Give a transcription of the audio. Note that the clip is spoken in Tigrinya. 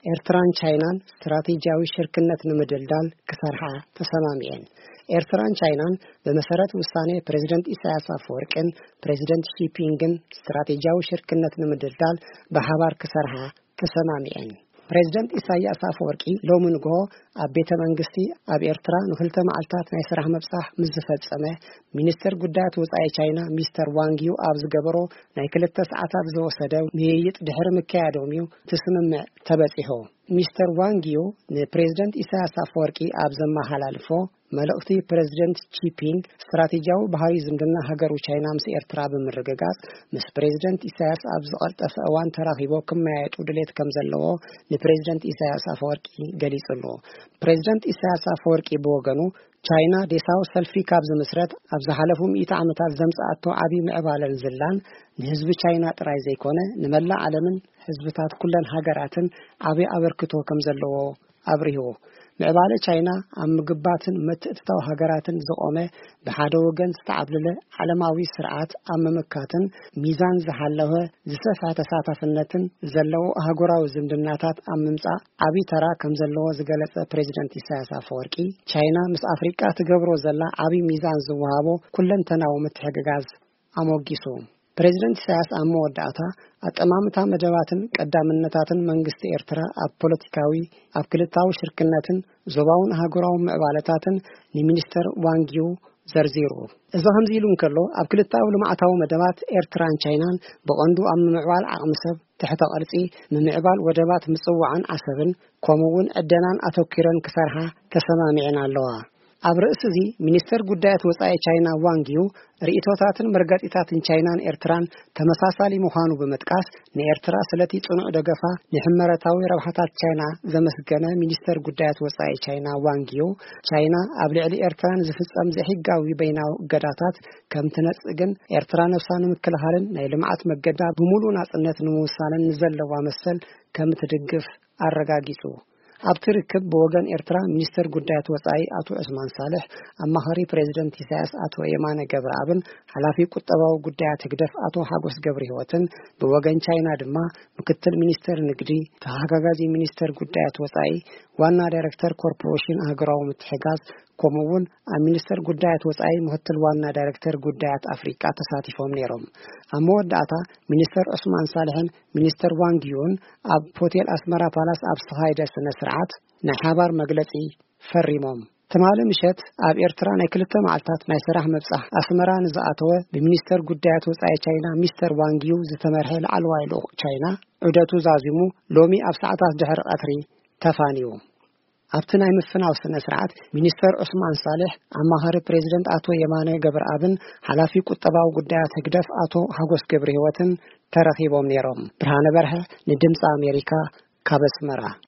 ኤርትራን ቻይናን ስትራቴጂያዊ ሽርክነት ንምድልዳል ክሰርሓ ተሰማሚዐን። ኤርትራን ቻይናን ብመሰረት ውሳኔ ፕሬዚደንት ኢሳያስ ኣፈወርቅን ፕሬዚደንት ሺፒንግን ስትራቴጂያዊ ሽርክነት ንምድልዳል ብሓባር ክሰርሓ ተሰማሚዐን። ፕሬዚደንት ኢሳያስ ኣፈወርቂ ሎሚ ንግሆ ኣብ ቤተ መንግስቲ ኣብ ኤርትራ ንክልተ መዓልታት ናይ ስራሕ ምብጻሕ ምስ ዝፈጸመ፣ ሚኒስትር ጉዳያት ወጻኢ ቻይና ሚስተር ዋንግ ዩ ኣብ ዝገበሮ ናይ ክልተ ሰዓታት ዝወሰደ ምይይጥ ድሕሪ ምክያዶም እዩ እቲ ስምምዕ ተበጺሑ። ሚስተር ዋንግ ዩ ንፕሬዚደንት ኢሳያስ ኣፈወርቂ ኣብ ዘመሓላልፎ መልእኽቲ፣ ፕሬዚደንት ቺፒንግ ስትራቴጂያዊ ባህሪ ዝምድና ሃገሩ ቻይና ምስ ኤርትራ ብምርግጋጽ ምስ ፕሬዚደንት ኢሳያስ ኣብ ዝቐልጠፈ እዋን ተራኺቦ ክመያየጡ ድሌት ከም ዘለዎ ንፕሬዚደንት ኢሳያስ ኣፈወርቂ ገሊጹ ኣሎ። ፕሬዚደንት ኢሳያስ ኣፈወርቂ ብወገኑ ቻይና ዴሳዊ ሰልፊ ካብ ዝምስረት ኣብ ዝሓለፉ ሚእቲ ዓመታት ዘምጽኣቶ ዓቢ ምዕባለን ዝላን ንህዝቢ ቻይና ጥራይ ዘይኮነ ንመላእ ዓለምን ህዝብታት ኩለን ሃገራትን ዓቢ ኣበርክቶ ከም ዘለዎ ኣብሪሁ። ምዕባለ ቻይና ኣብ ምግባትን ምትእትታው ሃገራትን ዝቖመ ብሓደ ወገን ዝተዓብለለ ዓለማዊ ስርዓት ኣብ ምምካትን ሚዛን ዝሓለወ ዝሰፍሐ ተሳታፍነትን ዘለዎ ኣህጉራዊ ዝምድናታት ኣብ ምምጻእ ዓቢ ተራ ከም ዘለዎ ዝገለጸ ፕሬዚደንት ኢሳያስ ኣፈወርቂ፣ ቻይና ምስ ኣፍሪቃ ትገብሮ ዘላ ዓቢ ሚዛን ዝወሃቦ ኩለንተናዊ ምትሕግጋዝ ኣሞጊሱ። ፕሬዚደንት ኢሳያስ ኣብ መወዳእታ ኣጠማምታ መደባትን ቀዳምነታትን መንግስቲ ኤርትራ ኣብ ፖለቲካዊ፣ ኣብ ክልታዊ ሽርክነትን ዞባውን ኣህጉራዊ ምዕባለታትን ንሚኒስተር ዋንግ ዩ ዘርዚሩ። እዚ ከምዚ ኢሉ እንከሎ፣ ኣብ ክልታዊ ልምዓታዊ መደባት ኤርትራን ቻይናን ብቐንዱ ኣብ ምምዕባል ዓቕሚ ሰብ፣ ትሕተ ቅርጺ፣ ምምዕባል ወደባት ምጽዋዕን ዓሰብን ከምኡ እውን ዕደናን ኣተኲረን ክሰርሓ ተሰማሚዐን ኣለዋ። ኣብ ርእሲ እዚ፣ ሚኒስተር ጉዳያት ወጻኢ ቻይና ዋንግ ዩ ርእይቶታትን መርገጺታትን ቻይናን ኤርትራን ተመሳሳሊ ምዃኑ ብምጥቃስ፣ ንኤርትራ ስለቲ ጽኑዕ ደገፋ ንሕመረታዊ ረብሓታት ቻይና ዘመስገነ ሚኒስተር ጉዳያት ወጻኢ ቻይና ዋንግ ዩ፣ ቻይና ኣብ ልዕሊ ኤርትራ ንዝፍጸም ዘይሕጋዊ በይናዊ እገዳታት ከም ትነጽግን ኤርትራ ነብሳ ንምክልኻልን ናይ ልምዓት መገዳ ብምሉእ ናጽነት ንምውሳንን ንዘለዋ መሰል ከም ትድግፍ ኣረጋጊጹ። ኣብቲ ርክብ ብወገን ኤርትራ ሚኒስተር ጉዳያት ወጻኢ ኣቶ ዑስማን ሳልሕ፣ ኣማኻሪ ፕሬዚደንት ኢሳያስ ኣቶ የማነ ገብረኣብን ሓላፊ ቁጠባዊ ጉዳያት ህግደፍ ኣቶ ሓጎስ ገብረህይወትን፣ ብወገን ቻይና ድማ ምክትል ሚኒስተር ንግዲ፣ ተሓጋጋዚ ሚኒስተር ጉዳያት ወጻኢ፣ ዋና ዳይሬክተር ኮርፖሬሽን ኣህጉራዊ ምትሕጋዝ፣ ከምኡ እውን ኣብ ሚኒስተር ጉዳያት ወጻኢ ምክትል ዋና ዳይሬክተር ጉዳያት ኣፍሪቃ ተሳቲፎም ነይሮም። ኣብ መወዳእታ ሚኒስተር ዑስማን ሳልሕን ሚኒስተር ዋንግ ዩን ኣብ ሆቴል ኣስመራ ፓላስ ኣብ ዝተኻየደ ስነ ስርዓት ናይ ሓባር መግለጺ ፈሪሞም። ትማሊ ምሸት ኣብ ኤርትራ ናይ ክልተ መዓልታት ናይ ስራሕ ምብጻሕ ኣስመራ ንዝኣተወ ብሚኒስተር ጉዳያት ወጻኢ ቻይና ሚስተር ዋንግ ዩ ዝተመርሐ ላዕለዋይ ልኡኽ ቻይና ዑደቱ ዛዚሙ ሎሚ ኣብ ሰዓታት ድሕሪ ቀትሪ ተፋንዩ። ኣብቲ ናይ ምፍናው ስነ ስርዓት ሚኒስተር ዑስማን ሳልሕ፣ ኣማኻሪ ፕሬዚደንት ኣቶ የማነ ገብረኣብን ሓላፊ ቁጠባዊ ጉዳያት ህግደፍ ኣቶ ሓጎስ ገብረህይወትን ተረኺቦም ነይሮም። ብርሃነ በርሀ ንድምፂ ኣሜሪካ ካብ ኣስመራ።